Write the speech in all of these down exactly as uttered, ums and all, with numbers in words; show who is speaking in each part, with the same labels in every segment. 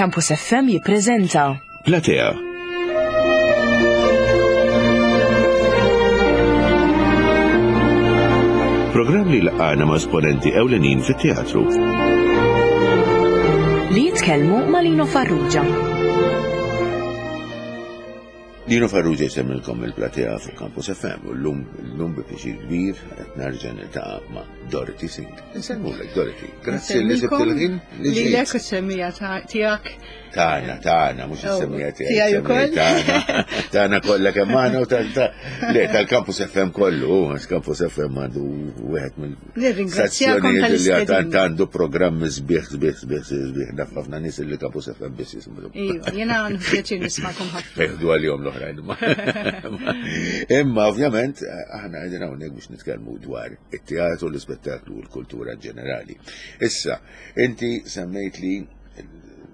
Speaker 1: Campus F M jippreżenta
Speaker 2: Platea. Programm li laqana ma' esponenti ewlenin fit-teatru.
Speaker 1: Li jitkellmu ma' Lino Farrugia.
Speaker 2: Lino Farrugia jsemmilkom il-Platea fuq Campus F M u l-lum l-lum bi pjaċir kbir qed nerġa' niltaqa' ma' Dorothy Sink. Insellmulek, Dorothy. Grazzi li sibt il-ħin li
Speaker 3: Lilek
Speaker 2: ġejt.
Speaker 3: U s-semmiegħa tiegħek.
Speaker 2: Tagħna, tagħna, mhux
Speaker 3: Oh,
Speaker 2: is-semmiegħa tiegħi.
Speaker 3: Tiegħi ukoll?
Speaker 2: Tagħna, tagħna kollha kemm aħna u ta' ta' le tal-Campus F M kollu, għax Campus F M għandu wieħed mill
Speaker 3: Nirringrazzjakom
Speaker 2: stazzjonijiet li
Speaker 3: tal-istedina.
Speaker 2: għad għandu programmi sbieħ, sbieħ, sbieħ, sbieħ, naf ħafna nies li Campus F M biss jisimgħu.
Speaker 3: Iva, jiena nieħu pjaċir nismakom ħafna.
Speaker 2: Eħdu għalihom l-oħrajn. Imma ovvjament aħna qegħdin hawnhekk biex nitkellmu dwar it-teatru, l-ispettaklu u l-kultura ġenerali. Issa, inti semmejt li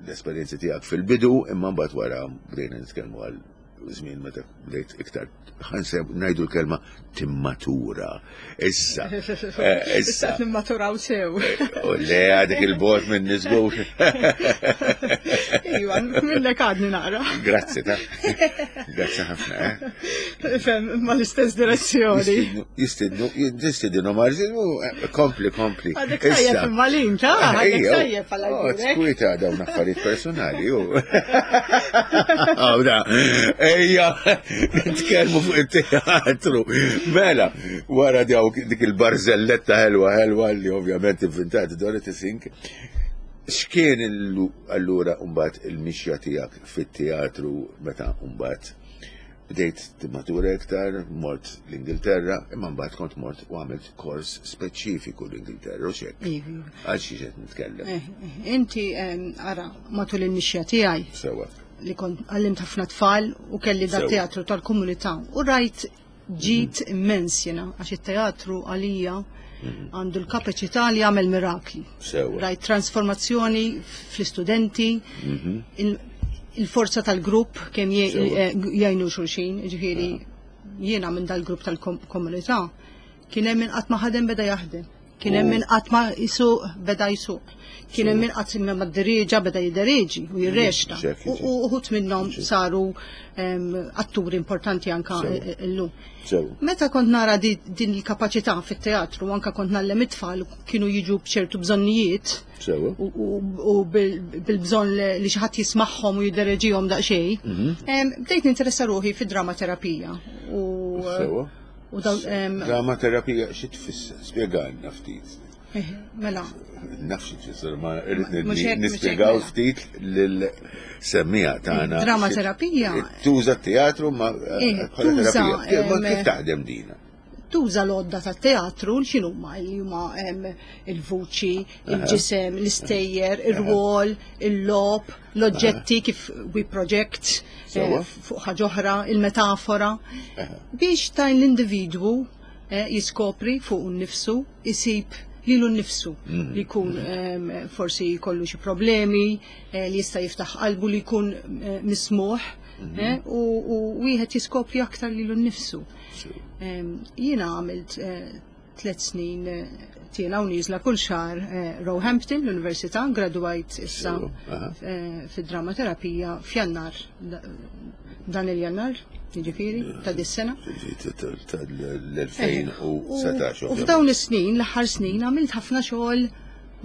Speaker 2: l-esperjenzi tiegħek fil-bidu, imma mbagħad wara bdejna nitkellmu għal żmien meta bdejt iktar ħanseb ngħidu l-kelma timmatura. Issa, eh,
Speaker 3: Issa
Speaker 2: issa.
Speaker 3: nimmaturaw sew.
Speaker 2: U le għadek il-bot minn nisgur.
Speaker 3: Iva, minnek għadni naqra.
Speaker 2: Grazzi ta' Grazzi ħafna, eh?
Speaker 3: Fem, ma l-istess direzzjoni.
Speaker 2: Jistidnu, jistidnu marġin, kompli, kompli.
Speaker 3: Għadek tajjeb imma-lin, ta' għadek
Speaker 2: Ejja,
Speaker 3: tajjeb għal
Speaker 2: oh,
Speaker 3: għajrek.
Speaker 2: Skwita dawn affarijiet personali, u. Għawda, ejja, nitkellmu fuq it-teatru. Mela, wara dawk dik il-barzelletta ħelwa ħelwa li ovvjament inventat Dorothy Sink. X'kien illu- allura mbagħad il-mixja tiegħek fit-teatru meta mbagħad bdejt timmatura iktar, mort l-Ingilterra, imma mbagħad kont mort u għamilt kors speċifiku l-Ingilterra, u xek.
Speaker 3: Iva.
Speaker 2: Għal xi qed nitkellem.
Speaker 3: Eh, eh, Inti, em, ara, matul il-mixja tiegħi
Speaker 2: Sewa.
Speaker 3: li kont għallimt ħafna tfal u kelli da
Speaker 2: Sewa.
Speaker 3: teatru tal-komunità u rajt ġid immens jena, għax it-teatru għalija għandu l-kapaċità li jagħmel mirakli.
Speaker 2: Sewa.
Speaker 3: Rajt trasformazzjoni fl-istudenti, il- il-forza tal-grupp kemm je-
Speaker 2: Sewa.
Speaker 3: eh, jgħinu xulxin, ġifieri jiena minn dal-grupp tal-komunità kien hemm min qatt ma ħadem beda jaħdem. Kien hemm min qatt ma jisuq beda jisuq. Kien hemm min qatt ma ddirieġa beda jiddereġi u jirreċta.
Speaker 2: Xek,
Speaker 3: U u uħud minnhom saru em, atturi importanti anka
Speaker 2: Sewa.
Speaker 3: eh, illum.
Speaker 2: Sewa.
Speaker 3: Meta kont nara di, din il-kapaċità fit-teatru, anka kont ngħallem it-tfal kienu jiġu b'ċertu bżonnijiet
Speaker 2: Sewa.
Speaker 3: u, u, u bil- bil-bżonn li li xi ħadd jismagħhom u jiddereġihom daqsxejn, em, bdejt ninteressa ruħi fid-dramaterapija. U,
Speaker 2: Sewa.
Speaker 3: u dawn, em,
Speaker 2: Drama terapija xi tfisser? Spjegalna ftit.
Speaker 3: eh, mela,
Speaker 2: Naf xi tfisser, ma irrid
Speaker 3: Mhux hekk, mhux
Speaker 2: nispjegaw
Speaker 3: hekk, mela.
Speaker 2: ftit lil-semmiegħa tagħna.
Speaker 3: Drama terapija.
Speaker 2: Tuża t-teatru ma
Speaker 3: Eh,
Speaker 2: bħala
Speaker 3: tuża,
Speaker 2: terapija. Kif- ma
Speaker 3: em,
Speaker 2: Kif taħdem dina?
Speaker 3: Tuża l-għodda ta' teatru x'inhuma li huma em, il-vuċi, il-ġisem, l-istejjer, ir-rwol, il-logħob, l-oġġetti kif we project eh,
Speaker 2: Sewa.
Speaker 3: fuq ħaġa oħra, il-metafora, biex tajn l-individwu eh, jiskopri fuq nnifsu, isib lilu nnifsu li jkun em, forsi jkollu xi problemi, eh, li jista' jiftaħ qalbu, li jkun eh, mismuħ eh, u u wieħed jiskopri aktar lilu nnifsu. Em, Jiena għamilt eh, tliet snin eh, tiela u nieżla kull xahar eh, Roehampton, l-Università, graduajt issa
Speaker 2: Sewa, aha.
Speaker 3: eh, fid-dramaterapija f'Jannar, da- dan il-Jannar, jiġifieri, ta' dis-sena.
Speaker 2: Tal-elfejn u sbatax.
Speaker 3: U f'dawn is-snin, l-aħħar snin, għamilt ħafna xogħol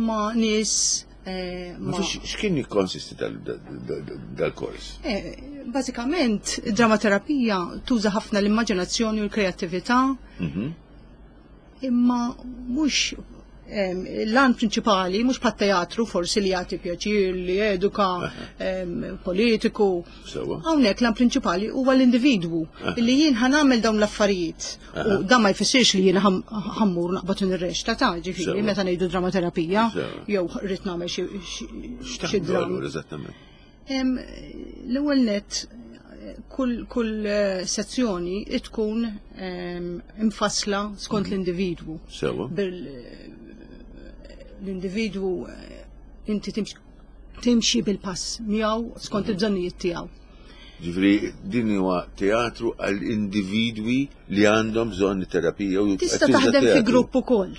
Speaker 3: ma' nies eh,
Speaker 2: Ma
Speaker 3: ma'
Speaker 2: x'kien jikkonsisti dal-kors?
Speaker 3: Eh, Bażikament, id-dramaterapija tuża ħafna l-immaġinazzjoni u l-kreattività, imma mhux em, l-għan prinċipali, mhux bħat teatru forsi li jagħti pjaċir, li eduka em, politiku.
Speaker 2: Sewa.
Speaker 3: Hawnhekk l-għan prinċipali huwa l-individwu li jien ħa nagħmel dawn l-affarijiet. U dan ma jfissirx li jien ħam- ħa mmur naqbad nirreċta ta' ġifieri
Speaker 2: Sewa.
Speaker 3: meta ngħidu dramaterapija
Speaker 2: Sewa.
Speaker 3: jew rrid nagħmel xi xi- xi
Speaker 2: X'taħdmu
Speaker 3: dram.
Speaker 2: allura eżattament?
Speaker 3: Em, L-ewwel net kull kull eh, sezzjoni tkun em, imfassla skont l-individwu.
Speaker 2: Sewa.
Speaker 3: Bil l-individwu eh, inti timxi timxi bil-pass miegħu skont il-bżonnijiet tiegħu.
Speaker 2: Ġifieri din huwa teatru għal individwi li għandhom bżonn terapija u
Speaker 3: Tista'
Speaker 2: tuża
Speaker 3: taħdem fi
Speaker 2: teatru.
Speaker 3: grupp ukoll.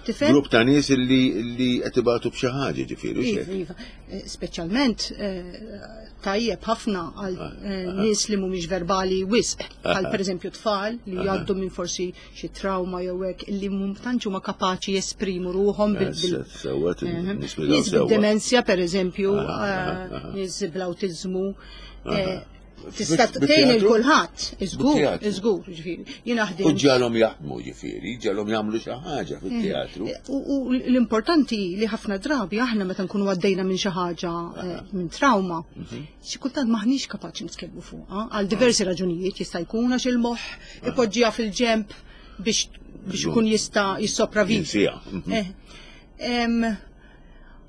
Speaker 3: Tifhem?
Speaker 2: Grupp ta' nies li li qed ibatu b'xi ħaġa ġifieri
Speaker 3: Iva,
Speaker 2: xejn.
Speaker 3: iva. Eh, Speċjalment eh, tajjeb ħafna għal eh, nies li mhumiex verbali wisq, bħal pereżempju tfal li jgħaddu minn forsi xi trauma jew hekk illi mhum tantx huma kapaċi jesprimu ruħhom bil bil-
Speaker 2: Sewwa
Speaker 3: Eh,
Speaker 2: nispjegaw
Speaker 3: Nies
Speaker 2: sewwa.
Speaker 3: bid-demenzja pereżempju,
Speaker 2: Aha,
Speaker 3: eh,
Speaker 2: aha.
Speaker 3: nies bl-awtiżmu. eh, Tista'
Speaker 2: Bit-
Speaker 3: tgħin lil
Speaker 2: bit-teatru?
Speaker 3: kulħadd, iżgur,
Speaker 2: Bit-teatru.
Speaker 3: iżgur, ġifieri. Jiena
Speaker 2: U
Speaker 3: ħdimt
Speaker 2: ġalhom jaħdmu ġifieri, ġalhom jagħmlu xi ħaġa fit-teatru.
Speaker 3: U, u l-importanti li ħafna drabi aħna meta nkunu għaddejna minn xi ħaġa eh, minn trauma, xi kultant maħniex kapaċi nitkellmu fuqha għal diversi raġunijiet jista' jkun għax il-moħħ ipoġġiha fil-ġemp biex biex ikun jista' jissopravivi.
Speaker 2: Jinsieha. Mhm.
Speaker 3: Eh, em,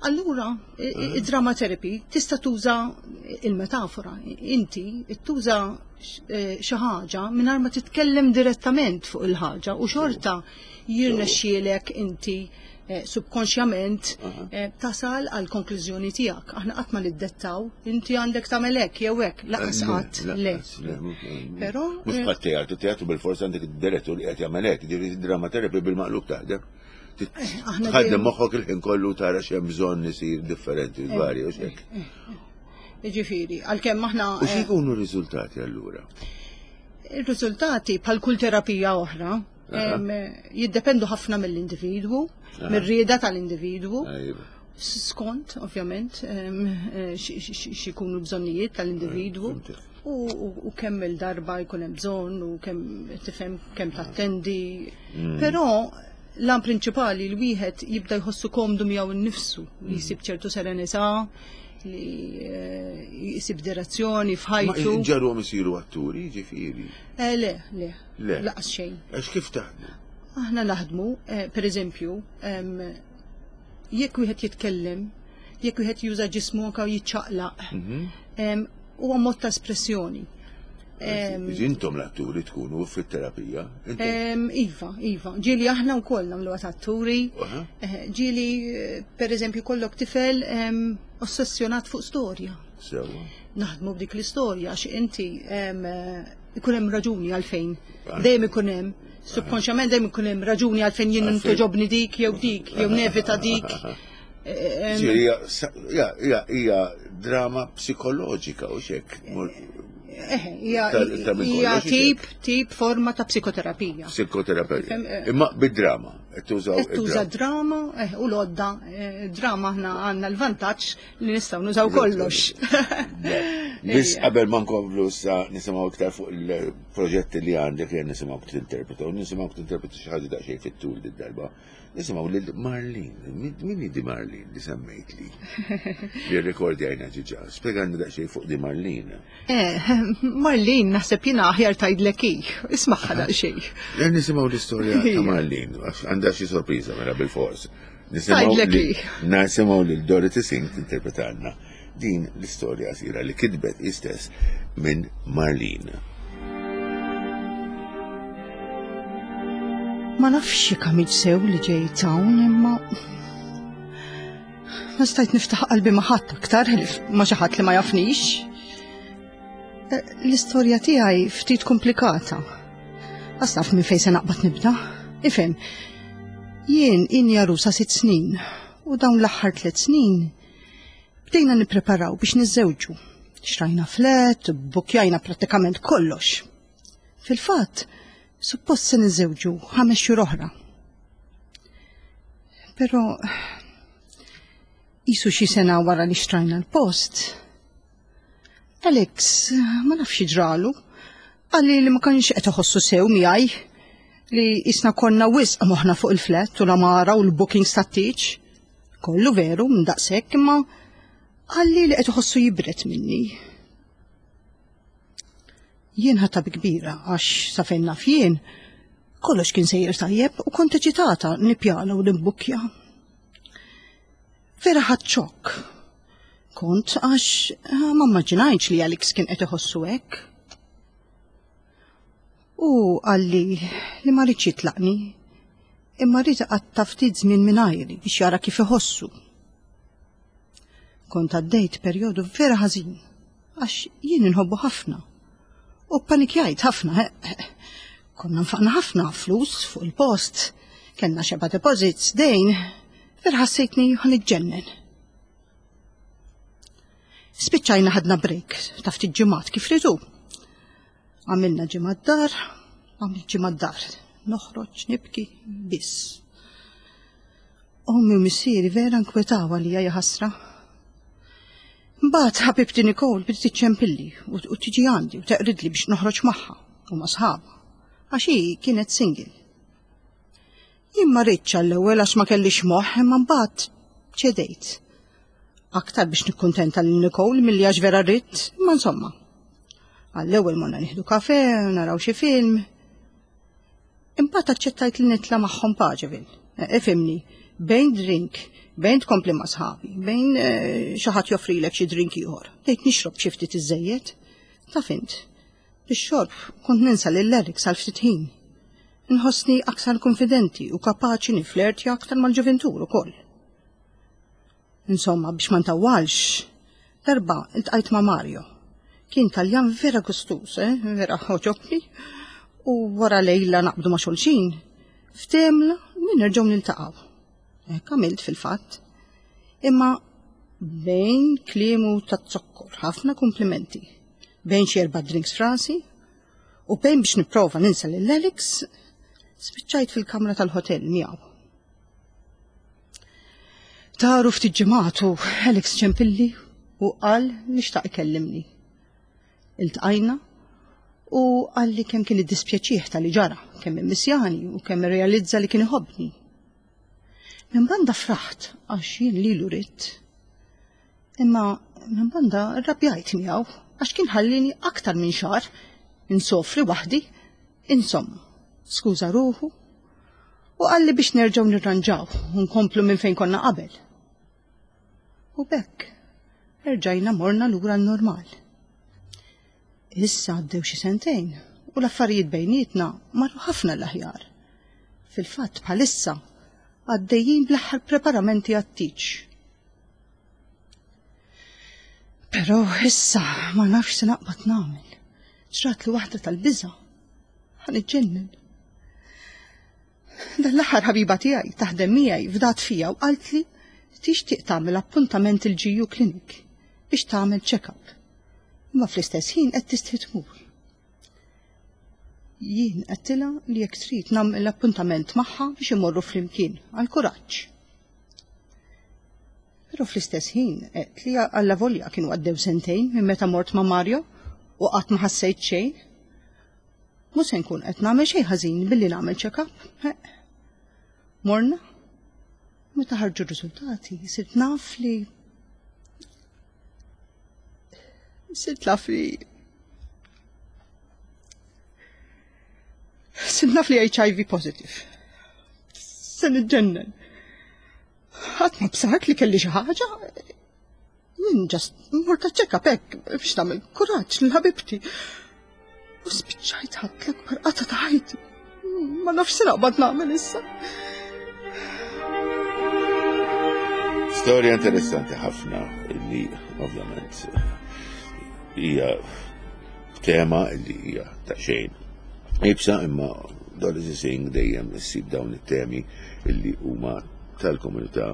Speaker 3: Allura, i- i- id-drama therapy tista' tuża il-metafora. Inti tuża x- eh, xi ħaġa mingħajr ma titkellem direttament fuq il-ħaġa u xorta jirnexxielek inti eh, subkonxjament eh, tasal għal konklużjoni tiegħek. Aħna qatt ma niddettaw, inti għandek tagħmel hekk jew hekk, lanqas qatt le. Però,
Speaker 2: Mhux
Speaker 3: eh,
Speaker 2: bħal teatru, teatru bil-forsa għandek id-direttur li qed jagħmel hekk, ġifieri drama therapy bil-maqlub taħdem.
Speaker 3: aħna
Speaker 2: Tħaddem
Speaker 3: dejjem-
Speaker 2: moħħok il-ħin kollu tara x'hemm bżonn isir differenti varji u x'hekk.
Speaker 3: Ġifieri, għalkemm aħna
Speaker 2: U
Speaker 3: eh,
Speaker 2: x'ikunu r-riżultati allura?
Speaker 3: Il-riżultati bħal kull terapija oħra em, jiddependu ħafna mill-individwu, mir-rieda tal-individwu,
Speaker 2: Ajba.
Speaker 3: skont ovvjament em, eh, xi- xi x'ikunu bżonnijiet tal-individwu.
Speaker 2: Fhimtek.
Speaker 3: U, u, u kemm il-darba jkun hemm bżonn u kemm tifhem kemm tattendi. Però l-għan prinċipali li wieħed jibda jħossu komdu miegħu nnifsu, li jsib ċertu serenità, li eh, jsib direzzjoni
Speaker 2: Ma
Speaker 3: f'ħajtu.
Speaker 2: ġarhom isiru atturi, ġifieri.
Speaker 3: Eh, le, le,
Speaker 2: Le.
Speaker 3: Lanqas xejn.
Speaker 2: Għax kif taħdmu?
Speaker 3: Aħna naħdmu, eh, per eżempju, em, jekk wieħed jitkellem, jekk wieħed juża ġismu anke jiċċaqlaq, em, huwa mod ta' espressjoni. Em,
Speaker 2: Intom l-atturi tkunu fit-terapija. Intom.
Speaker 3: em, Iva, iva. Ġieli aħna wkoll nagħmlu atturi.
Speaker 2: Aha.
Speaker 3: Eh, Ġieli, eh, per eżempju, kollok tifel em, ossessjonat fuq storja.
Speaker 2: Sewwa.
Speaker 3: Naħdmu b'dik l-istorja għax inti em, eh, ikun hemm raġuni għalfejn.
Speaker 2: Ah.
Speaker 3: Dejjem ikun hemm subkonxjament dejjem ikun hemm raġuni għalfejn jien
Speaker 2: Għalfejn.
Speaker 3: togħġobni dik jew dik jew nevita dik. Eh, em,
Speaker 2: Ġifieri hija sa- hija- hija hija drama psikoloġika u xek.
Speaker 3: Eh, hija
Speaker 2: Ta' ta' minn
Speaker 3: hija
Speaker 2: kollox,
Speaker 3: tip tip forma ta' psikoterapija.
Speaker 2: Psikoterapija.
Speaker 3: Fem, eh,
Speaker 2: Imma bid-drama, qed tużaw
Speaker 3: Qed tuża
Speaker 2: id-drama.
Speaker 3: drama eh, u l-għodda, eh, drama aħna għandna l-vantaġġ li nistgħu nużaw kollox.
Speaker 2: Biss qabel ma nkomplu sa nisimgħu iktar fuq il-proġetti li għandek jien nisimgħu tinterpreta u nisimgħu tinterpreta xi ħaġa daqsxejn fit-tul did-darba. Nisimgħu lil Marlene. Min min hi di Marlene li semmejt li? Li rrekordjajna ġiġa. Spjegana daqsxejn fuq di Marlene.
Speaker 3: Eh, Marlene, naħseb jiena aħjar tgħidlek hi, ismagħha daqsxejn.
Speaker 2: Len nisimgħu l-istorja ta'
Speaker 3: Ija.
Speaker 2: Marlene, għax għandha xi sorpriża mela bil-fors. Nisimgħu
Speaker 3: Tgħidlek
Speaker 2: li
Speaker 3: hi.
Speaker 2: nisimgħu lil Dorothy Singh tinterpretalna din l-istorja qasira li kitbet istess minn Marlene.
Speaker 3: Ma nafx jekk għamilt sew li ġejt hawn imma ma stajt niftaħ qalbi ma' ħadd aktar ħlief ma' xi ħadd li ma jafnix. Eh, L-istorja tiegħi ftit komplikata. Għax naf minn fejn se naqbad nibda. Ifhem, jien inni għarusa sitt snin u dawn l-aħħar tliet snin bdejna nippreparaw biex niżżewġu. Xtrajna flat, bukjajna prattikament kollox. Fil-fatt, suppost se niżżewġu ħames xhur oħra. Però qisu xi sena wara li xtrajna l-post. Alex, ma nafx ġralu, qalli li ma kienx qed iħossu sew miegħi li qisna konna wisq moħħna fuq il-flat u l-għamara u l-bookings tat-tieġ. Kollu veru, minn daqshekk imma qalli li qed iħossu jibret minni. Jien ħadtha bi kbira għax sa fejn naf jien kollox kien sejjer tajjeb u kont eċitata nippjana u nimbukkja. Vera ħadt xokk. Kont għax ah, ma immaġinajtx li Alex kien qed iħossu hekk. U qalli li ma riedx jitlaqni, imma ried iqatta' ftit żmien mingħajri biex jara kif iħossu. Kont għaddejt perjodu vera ħażin għax jien inħobbu ħafna. U panikjajt ħafna. eh, eh. Konna nfaqna ħafna flus fuq il-post. Kellna xeba deposits, dejn, vera ħassejtni ħa niġġennen. Spiċċajna ħadna break ta' ftit ġimgħat kif ridu. Għamilna ġimgħa d-dar, għamilt ġimgħa d-dar. Noħroġ, nibki, biss. Ommi u missieri vera nkwetaw għalija, jaħasra. Mbagħad ħabibti Nicole bdiet iċċempilli u u tiġi għandi u teqridli biex noħroġ magħha u ma' sħabha. Għax hi kienet single. Jien ma ridtx għall-ewwel għax ma kellix moħħ, imma mbagħad ċedejt. Aktar biex nikkuntenta lil Nicole milli għax vera ridt, imma insomma. Għall-ewwel morna nieħdu kafe, naraw xi film. Imbagħad aċċettajt li nitla' magħhom Paceville. Eh, Ifhimni, bejn drink, bejn tkompli ma' sħabi, bejn eh, xi ħadd joffrilek xi drink ieħor. Bdejt nixrob xi ftit iżejjed. Taf int, bix-xorb kont ninsa lil Alex għal ftit ħin. Nħossni aktar konfidenti u kapaċi niflertja aktar mal-ġuventur ukoll. Insomma, biex ma ntawwalx, darba iltqajt ma' Mario. Kien Taljan vera gustuż, eh? Vera għoġobni. U wara lejla naqbdu ma' xulxin, ftehemna li nerġgħu niltaqgħu. Hekk għamilt fil-fatt. Imma bejn kliemu ta' zokkor, ħafna komplimenti, bejn xi erba' drinks f'rasi, u bejn biex nipprova ninsa lil Alex, spiċċajt fil-kamra tal-hotel miegħu. Taru ftit ġimgħat u Alex ċempilli u qal li xtaq ikellimni. Iltqajna u qal li kemm kien iddispjaċih tal-li ġara, kemm immissjani u kemm irrealizza li kien iħobbni. Minn banda fraħt għax jien lilu ridt. Imma minn banda rrabjajt miegħu għax kien ħallini aktar minn xahar insofri waħdi. Insomma, skuża ruħu u qalli biex nerġgħu nirranġaw u nkomplu minn fejn konna qabel. U b'hekk, erġajna morna lura n-normal. Issa għaddew xi sentejn u l-affarijiet bejnietna marru ħafna l-aħjar. Fil-fatt bħalissa għaddejjin bl-aħħar preparamenti għat-tieġ. Però issa ma nafx se naqbad nagħmel. Ġratli waħda tal-biża'. Ħa niġġennen. Dan l-aħħar ħabiba tiegħi taħdem miegħi fdat fija u qaltli tixtieq tagħmel appuntament il-G U Clinic biex tagħmel check-up. Imma fl-istess ħin qed tistħi tmur. Jien għedtilha li jekk trid nagħmel l-appuntament magħha biex imorru flimkien għal kuraġġ. Però fl-istess ħin għedt li allavolja kienu għaddew sentejn minn meta mort ma' Mario u qatt ma ħassejt xejn. Mhux se nkun qed nagħmel xejn ħażin billi nagħmel check-up. Morna, meta ħarġu r-riżultati, sirt naf li sirt naf li sirt naf li H I V positive. Se niġġennen. Ħadd ma bsart li kelli xi ħaġa. Jien just mort check-up hekk biex nagħmel kuraġġ lil ħabibti. U spiċċajt ħadt l-akbar qatgħa ta' ħajti. Ma nafx se naqbad nagħmel issa.
Speaker 2: Storja interessanti ħafna illi ovvjament hija tema illi hija ta' xejn iebsa, imma Dorothy Singh dejjem issib dawn it-temi illi huma tal-komunità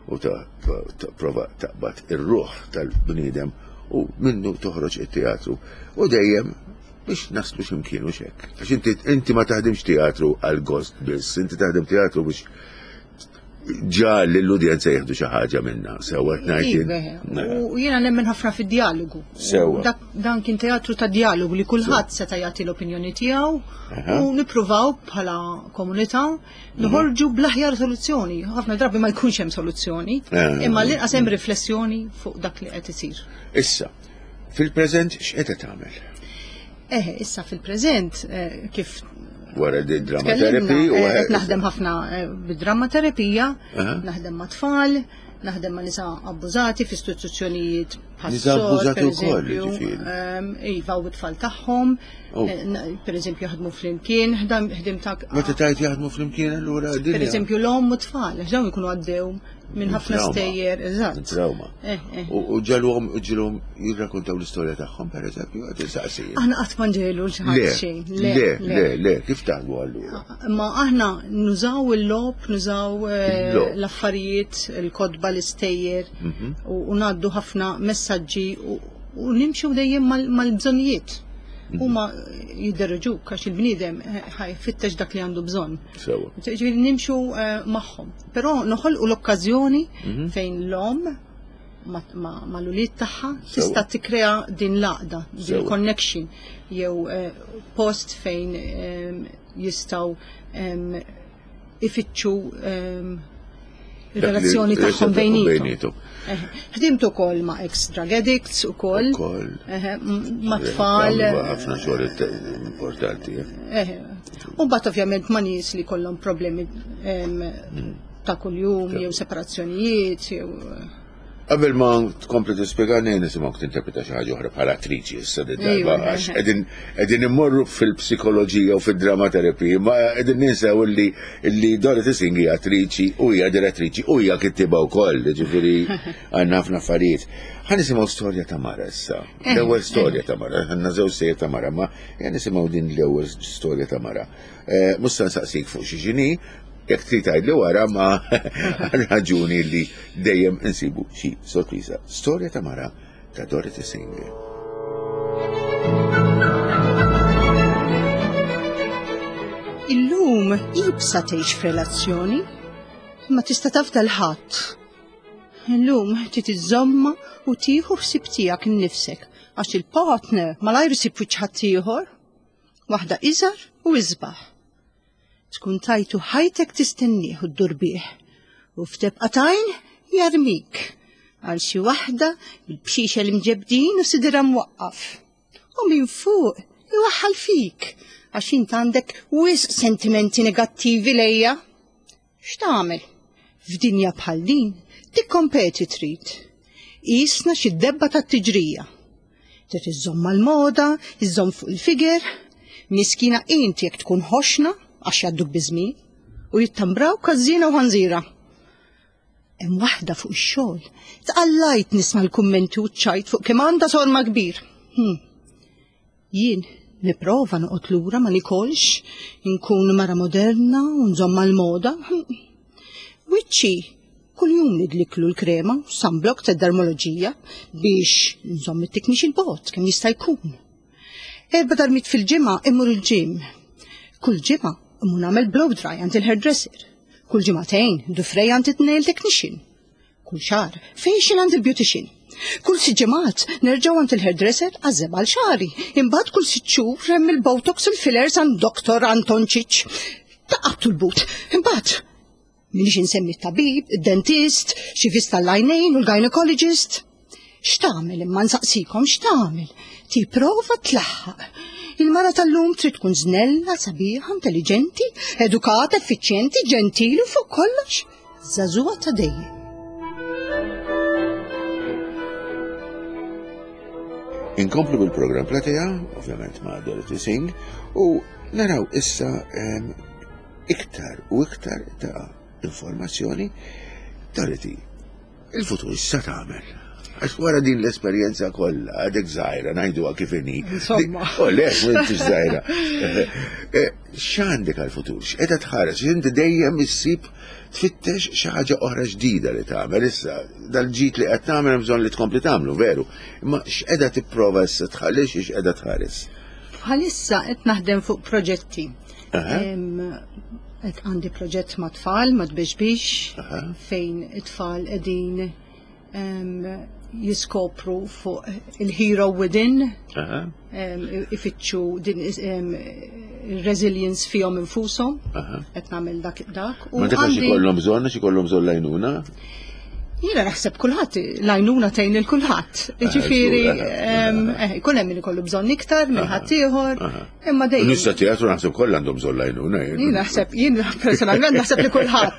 Speaker 2: u ta' prova taqbad ir-ruħ tal-bniedem u minnu toħroġ it-teatru u dejjem biex naslu x'imkien u xek. Għax inti inti ma taħdimx teatru għal gost biss, inti taħdem teatru biex ġa l-udjenza jieħdu xi ħaġa minna. Sewwa ngħid.
Speaker 3: U jiena nemmen ħafna fid-dialogu.
Speaker 2: Sewwa.
Speaker 3: Dan kien teatru ta' dialogu li kulħadd seta' jagħti l-opinjoni tiegħu u nippruvaw bħala komunità noħorġu bl-aħjar soluzzjoni. Ħafna drabi ma jkunx hemm soluzzjoni, imma l-inqas hemm riflessjoni fuq dak li qed isir.
Speaker 2: Issa, fil-preżent x'qed tagħmel?
Speaker 3: Eħe, issa fil-preżent kif
Speaker 2: wara di drama therapy
Speaker 3: u qed naħdem ħafna bid-drama terapija, naħdem ma' tfal, naħdem ma' nisa abbużati f'istituzzjonijiet
Speaker 2: Nisa abbużati wkoll,
Speaker 3: Iva, u t-tfal tagħhom, per eżempju jaħdmu flimkien, ħdim ta'
Speaker 2: Meta tajt jaħdmu flimkien allura
Speaker 3: dinja. Per eżempju l-omm u t-tfal, dawn ikunu għaddew minn ħafna stejjer, eżatt.
Speaker 2: Trauma. U ġalhom ġilhom jirrakkontaw l-istorja tagħhom per eżempju, qed insaqsi.
Speaker 3: Aħna qatt ma nġelu xi ħadd xejn.
Speaker 2: Le, le, le, kif taħdmu allura?
Speaker 3: Ma aħna nużaw il-logħob, nużaw l-affarijiet, il-kotba, l-istejjer u ngħaddu ħafna messaġġi u nimxu dejjem mal-bżonnijiet. Huma jidderġuk għax il-bniedem ħajfittex dak li għandu bżonn. Ġifieri nimxu magħhom. Però noħolqu l-okkażjoni fejn l-omm mal-ulied tagħha tista' tikkrea din l-għaqda, din connection jew post fejn jistgħu ifittxu il-relazzjoni tagħhom bejnietom. Ħdimt ukoll ma' ex-drug addicts ukoll. Ma' tfal.
Speaker 2: Ħafna xogħol importanti.
Speaker 3: U mbagħad ovvjament ma' nies li kollhom problemi ta' kuljum jew separazzjonijiet jew.
Speaker 2: Qabel ma tkompli tispjegani nisimgħuk tinterpreta xi ħaġa oħra bħala attriċi issa darba għax qegħdin immorru fil-psikoloġija u fid-drama therapy, ma qegħdin ninsew illi illi Dorothy Singh hija attriċi u hija direttriċi u hija kittieba wkoll, ġifieri għandna ħafna affarijiet. Ħa nisimgħu storja ta' mara issa. L-ewwel storja ta' mara, għandna żewġ sejjer ta' mara, ma ejja nisimgħu din l-ewwel storja ta' mara. Mhux se nsaqsik fuq xi xini, jekk trid tgħidli wara ma raġuni li dejjem insibu xi sorpriża. Storja ta' mara ta' Dorothy Singh.
Speaker 3: Illum ibsa tgħix f'relazzjoni, ma tista' taf dal-ħadd. Illum trid iżżomma u tieħu ħsieb tiegħek innifsek għax il-partner malajr isib wiċċ ħaddieħor, waħda iżgħar u isbaħ. Tkun tajtu ħajtek tistennieh u ddur bih u f'tebqa tajn jarmik għal xi waħda bil-bxixa l-imġebdin u sidra mwaqqaf. U minn fuq iwaħħal fik għax int għandek wisq sentimenti negattivi lejja. X'tagħmel? F'dinja bħal din tikkompeti trid. Qisna xi debba tat-tiġrija. Trid iżżomm mal-moda, iżżomm fuq il-figer, miskina inti jekk tkun ħoxna għax jadduk biżmien u jittambraw każżina u ħanżira. Hemm waħda fuq ix-xogħol tqallajt nisma' l-kummenti u ċajt fuq kemm għandha sorma kbir. Jien nipprova noqgħod lura ma nikolx, inkun mara moderna u nżomm mal-moda. Wiċċi kuljum nidliklu l-krema, sunblock tad-dermoloġija biex nżomm it-tiknix il-bot kemm jista' jkun. Erba' darbiet fil-ġimgħa immur il-gym. Kull ġimgħa immur nagħmel blow dry għand il-hairdresser. Kull ġimagħtejn dufrej għand it-nail technician. Kull xahar facial għand il-beautician. Kull sitt ġimgħat nerġgħu għand il-hairdresser għażeb għal xagħri. Imbagħad kull sitt xhur hemm il-botox u l-fillers għand Doktor Anton Ċiċ. Taqabtu l-but. Imbagħad minix insemmi t-tabib, id-dentist, xi vista l-għajnejn u l-gynecologist. X'tagħmel imma nsaqsikom x'tagħmel? Tipprova tlaħħaq. Il-mara tal-lum trid tkun żnella, sabiħa, intelligenti, edukata, effiċjenti, ġentili u fuq kollox żagħżugħa ta' dejjem.
Speaker 2: Inkomplu bil-programm Platea, ovvjament ma' Dorothy Singh, u naraw issa iktar u iktar ta' informazzjoni. Dorothy, il-futur issa tagħmel. Għax wara din l-esperjenza kollha, għadek żgħira, ngħiduha kif inhi.
Speaker 3: Insomma.
Speaker 2: Oh, le, m'intix żgħira. X'għandek għall-futur? X'qiegħda tħares? Inti dejjem issib tfittex xi ħaġa oħra ġdida li tagħmel issa. Dal-ġid li qed tagħmel hemm bżonn li tkompli tagħmlu, veru. Imma x'qiegħda tipprova issa tħalli x'qiegħda tħares?
Speaker 3: Bħalissa qed naħdem fuq proġetti. Qed għandi proġett ma' tfal, ma' tbexbix, fejn it-tfal qegħdin jiskopru fuq il-hero within, ifittxu din il-resilience fihom infushom, qed nagħmel dak dak.
Speaker 2: Ma dak għax ikollhom bżonn, għax ikollhom bżonn lajnuna?
Speaker 3: Jiena naħseb kulħadd l-għajnuna tgħin lil kulħadd. Jiġifieri jkun hemm min ikollu bżonn iktar minn ħaddieħor, imma dejjem.
Speaker 2: Nies ta' teatru naħseb kollha għandhom bżonn l-għajnuna.
Speaker 3: Jien naħseb, jien personalment naħseb li kulħadd.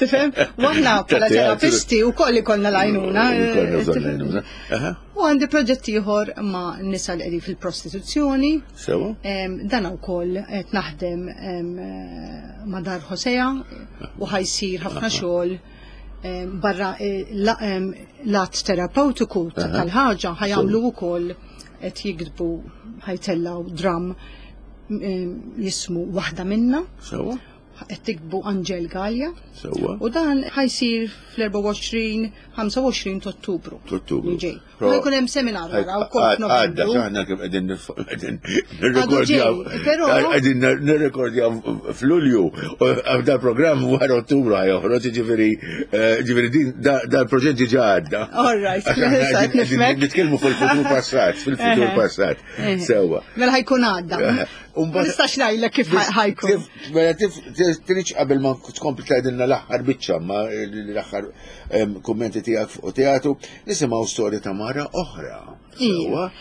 Speaker 3: Tifhem? U aħna bħala terapisti wkoll ikollna l-għajnuna.
Speaker 2: Ikollna bżonn l-għajnuna.
Speaker 3: U għandi proġett ieħor ma' nisa li qegħdin fil-prostituzzjoni.
Speaker 2: Sewa.
Speaker 3: Dan ukoll qed naħdem ma' Dar Hosea u ħajsir ħafna xogħol barra l-att terapeutiku tal-ħaġa ħajamlu wkoll qed jiktbu ħajtellaw dram jismu Waħda Minna.
Speaker 2: Sewa.
Speaker 3: Qed tiktbu Angel Gallia.
Speaker 2: Sewa.
Speaker 3: U dan ħajsir fl-erbgħa u għoxrin, ħamsa u għoxrin ta' Ottubru.
Speaker 2: Ottubru.
Speaker 3: Ġej. U jkun hemm seminar wara wkoll
Speaker 2: Għadda,
Speaker 3: f'Novembru.
Speaker 2: aħna kemm qegħdin qegħdin nirrekordjaw.
Speaker 3: Però
Speaker 2: qegħdin nirrekordjaw f'Lulju dal-programm wara Ottubru ħajoħroġ, ġifieri ġifieri din dal-proġett diġà għadda.
Speaker 3: All right,
Speaker 2: qegħdin nitkellmu fil-futur passat, fil-futur passat. Sewa.
Speaker 3: Mela ħajkun għadda. Ma nistax ngħidlek kif ħajkun.
Speaker 2: Mela tridx qabel ma tkompli tgħidilna l-aħħar biċċa ma l-aħħar kummenti tiegħek fuq teatru, nisimgħu storja ta' mara oħra. Sewa.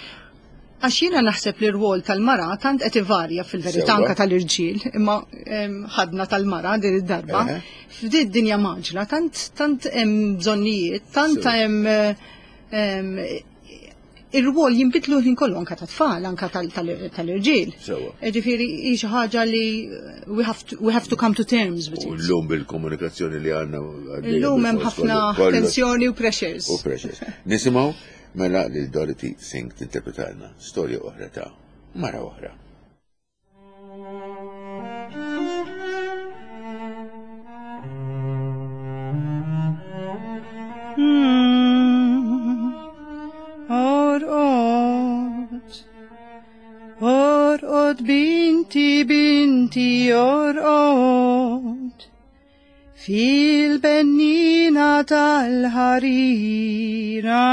Speaker 3: Għax jiena naħseb li r-rwol tal-mara tant qed ivarja fil-verità anke tal-irġiel, imma ħadna tal-mara din id-darba. F'din id-dinja maġla tant tant hemm bżonnijiet, tant hemm ir-rwol jinbidlu ħin kollu anke tat-tfal, anke tal-irġiel. Ġifieri hi xi ħaġa li we have to, we have to come to terms with
Speaker 2: U
Speaker 3: it.
Speaker 2: llum bil-komunikazzjoni li għandna
Speaker 3: Illum hemm ħafna tensjoni u pressures.
Speaker 2: U pressures. Nisimgħu mela lil Dorothy Singh tinterpretalna storja oħra ta' mara oħra.
Speaker 3: Orqod, orqod binti, binti, orqod, fil-bennina tal-ħarira.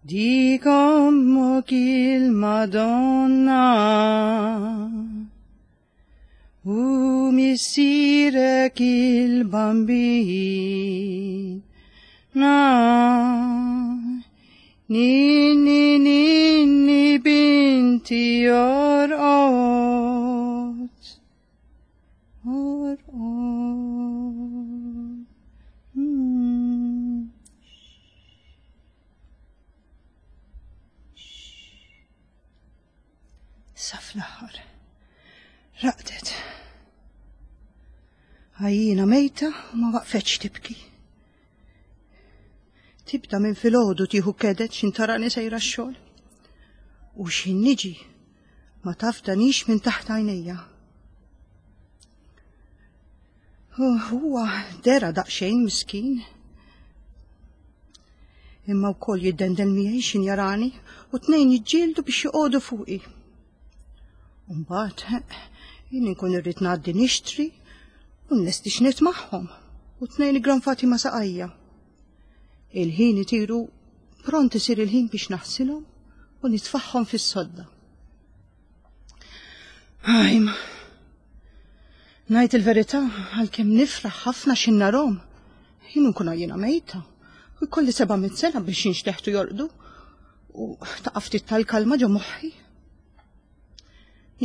Speaker 3: Dik ommok il-Madonna u missierek il-Bambin. Na, ninni, ninni, binti, orqod, orqod. Mm. Sa fl-aħħar, raqdet. Għajjina mejta u ma waqfetx tibki. Tibda minn filgħodu tieħu kedet x'in tarani sejra x-xogħol. U x'in niġi ma tafdanix minn taħt għajnejja. Huwa dera daqsxejn miskin. Imma wkoll jiddendel miegħi x'in jarani u tnejn jiġġieldu biex joqogħdu fuqi. U mbagħad jien inkun irrid ngħaddi nixtri u nlesti x'nit magħhom u tnejn igranfati ma' saqajja. Il-ħin itiru pront isir il-ħin biex naħsilhom u nitfaħħom fis-sodda. Ajma, ngħid il-verità għalkemm nifraħ ħafna x'in narhom. Jien nkun għajjina mejta u jkolli seba' mitt sena biex jinxteħtu jorqdu u taqa' ftit tal-kalma ġo moħħi.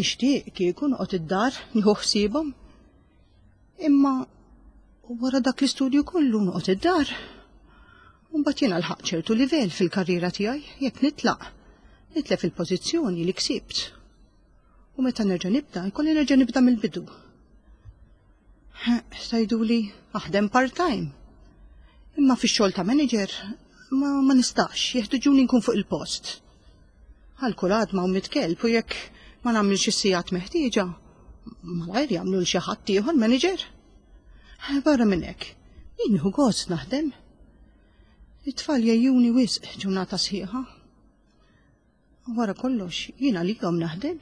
Speaker 3: Nixtieq kieku noqgħod id-dar nieħu ħsiebhom. Imma wara dak l-istudju kollu noqgħod id-dar. U mbagħad jiena lħaqt ċertu livell fil-karriera tiegħi jekk nitlaq, nitlef il-pożizzjoni li ksibt. U meta nerġa' nibda, jkolli nerġa' nibda mill-bidu. Tgħiduli aħdem part-time. Imma fix-xogħol ta' manager ma, ma nistax, jeħtiġuni nkun fuq il-post. Għal kull għadma u mitkelb u jekk ma nagħmilx is-sigħat meħtieġa, malajr jagħmlu l xi ħadd ieħor manager. Barra minn hekk, jien nieħu gost naħdem. It-tfal jgħejjuni wisq ġurnata sħiħa. Wara kollox, jiena għalihom naħdem.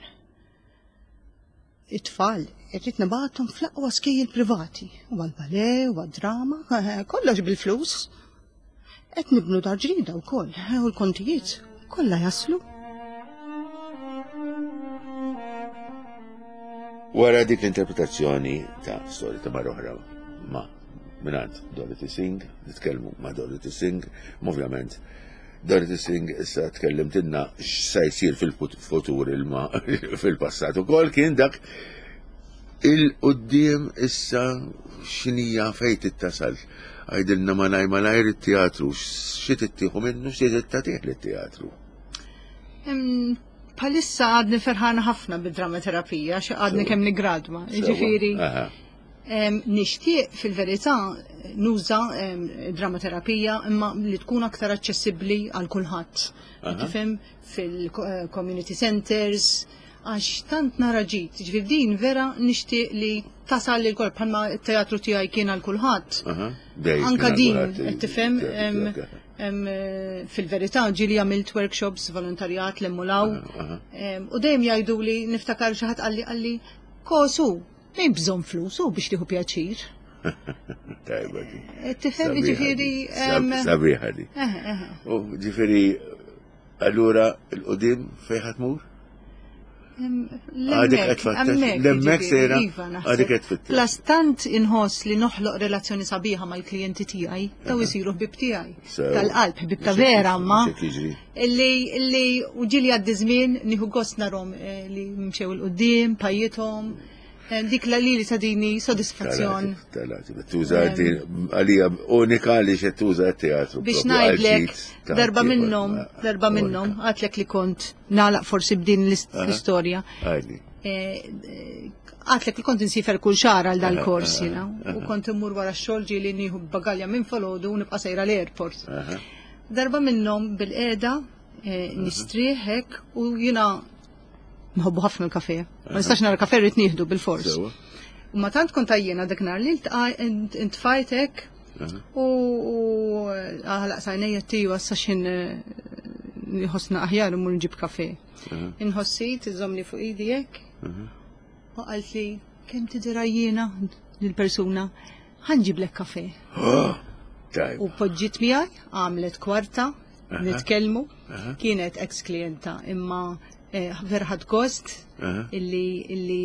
Speaker 3: It-tfal irrid nibgħathom fl-aqwa skejjel privati, u għall-ballet, u għad-drama, kollox bil-flus. Qed nibnu dar ġdida wkoll, u l-kontijiet kollha jaslu.
Speaker 2: Wara dik l-interpretazzjoni ta' storja ta' mara oħra ma' mingħand Dorothy Singh, nitkellmu ma' Dorothy Singh, ovvjament Dorothy Singh issa tkellimtilna x'sa jsir fil-futur ilma fil-passat ukoll kien dak il-qudiem issa x'inhija fejn tittasal. Għidilna malaj malajr it-teatru, xi tittieħu minnu, xi tagħtih lit-teatru.
Speaker 3: Bħalissa għadni ferħana ħafna bid-dramaterapija, xi għadni kemm nigradwa. Ġifieri nixtieq fil-verità nuża dramaterapija imma li tkun aktar aċċessibbli għal kulħadd. Tifhem fil-community centers, għax tant nara ġid, ġifieri din vera nixtieq li tasal lil kolb bħalma t-teatru tiegħi kien għal kulħadd. Anka din qed tifhem fil-verità ġieli għamilt workshops, volontarjat, l-emmulaw. U dejjem jgħidu li niftakar xi ħadd qalli qalli kosu, m'hemm bżonn flus u biex tieħu pjaċir.
Speaker 2: Tajba di.
Speaker 3: Tifhem ġifieri.
Speaker 2: Sabiħa di. U ġifieri allura il-qudiem fejn ħa tmur? Għadek qed tfittex. L-hemmhekk sejra. Għadek qed tfittex.
Speaker 3: Plus tant inħoss li noħloq relazzjoni sabiħa mal-klijenti tiegħi, daw isiru ħbib tiegħi. Tal-qalb, ħbib ta' vera ma. Illi illi u ġieli għaddi żmien nieħu gost narhom li mxew 'il quddiem, pajjithom. Dik la li li tadini sodisfazzjon.
Speaker 2: Tuża għalija unika li xe tuża teatru.
Speaker 3: Biex ngħidlek darba minnhom, darba minnhom, għedtlek li kont nagħlaq forsi b'din l-istorja. Għedtlek li kont insiefer kull xahar għal dal-kors jiena, u kont immur wara x-xogħol ġieli nieħu bagalja minn filgħodu u nibqa' sejra l-airport. Darba minnhom bilqiegħda nistrieħ hekk u jiena nħobbu ħafna l-kafe. Ma nistax nara kafe rrid nieħdu bil-fors. U ma tant kont għajjiena dak nhar li intfajtek u għalaqt għajnejja tiju għassa xin nħossna aħjar imur nġib kafe. Inħossi tiżomni fuq idi hekk. U qalt li kemm tidher għajjiena lill-persuna ħa nġiblek kafe. U poġġiet miegħi, għamlet kwarta, nitkellmu, kienet ex klienta imma vera ħadt gost illi illi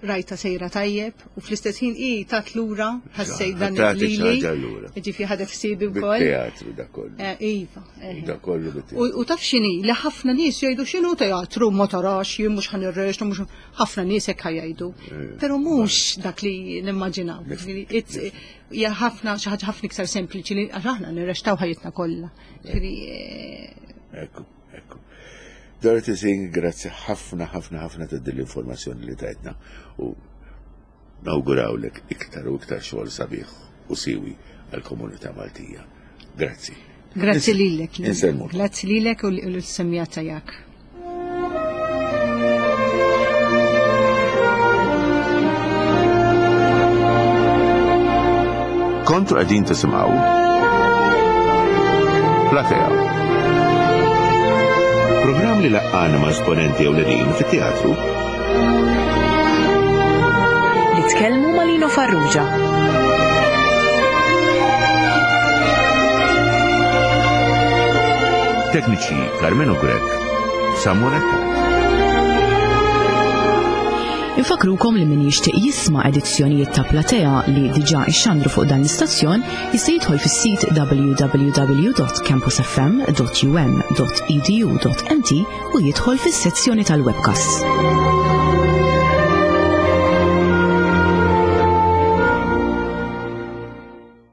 Speaker 3: rajta sejra tajjeb u fl-istess ħin i tat lura ħassejt dan lili. Ġifieri ħadet ħsiebi wkoll.
Speaker 2: Bit-teatru da kollu.
Speaker 3: Iva.
Speaker 2: Da kollu bit-teatru.
Speaker 3: U taf x'inhi li ħafna nies jgħidu x'inhu teatru ma tarax, jien mhux ħa nirreċta, mhux ħafna nies hekk jgħidu. Però mhux dak li nimmaġinaw. Hija ħafna xi ħaġa ħafna iktar sempliċi li għax aħna nirrextaw ħajjitna kollha. Ġifieri
Speaker 2: Ekku, ekku. Dorothy Singh, grazzi ħafna, ħafna, ħafna ta' din l-informazzjoni li tajtna u nawgurawlek iktar u iktar xogħol sabiħ u siwi għal-komunità Maltija. Grazzi.
Speaker 3: Grazzi lilek.
Speaker 2: Insellmu.
Speaker 3: Grazzi lilek u l-semmiegħa tiegħek.
Speaker 2: Kontu qegħdin tisimgħu Platea. Programm li laqqana ma' esponenti ewlenin fit-teatru.
Speaker 1: Nitkellmu ma' Lino Farrugia.
Speaker 2: Tekniċi Carmelo Grech, Samuel Attard.
Speaker 1: Infakrukom li min jixtieq jisma' edizzjonijiet ta' Platea li diġà ixxandru fuq dan l-istazzjon jista' jidħol fis-sit w w w dot campusfm dot u m dot e d u dot m t u jidħol fis-sezzjoni tal-webcast.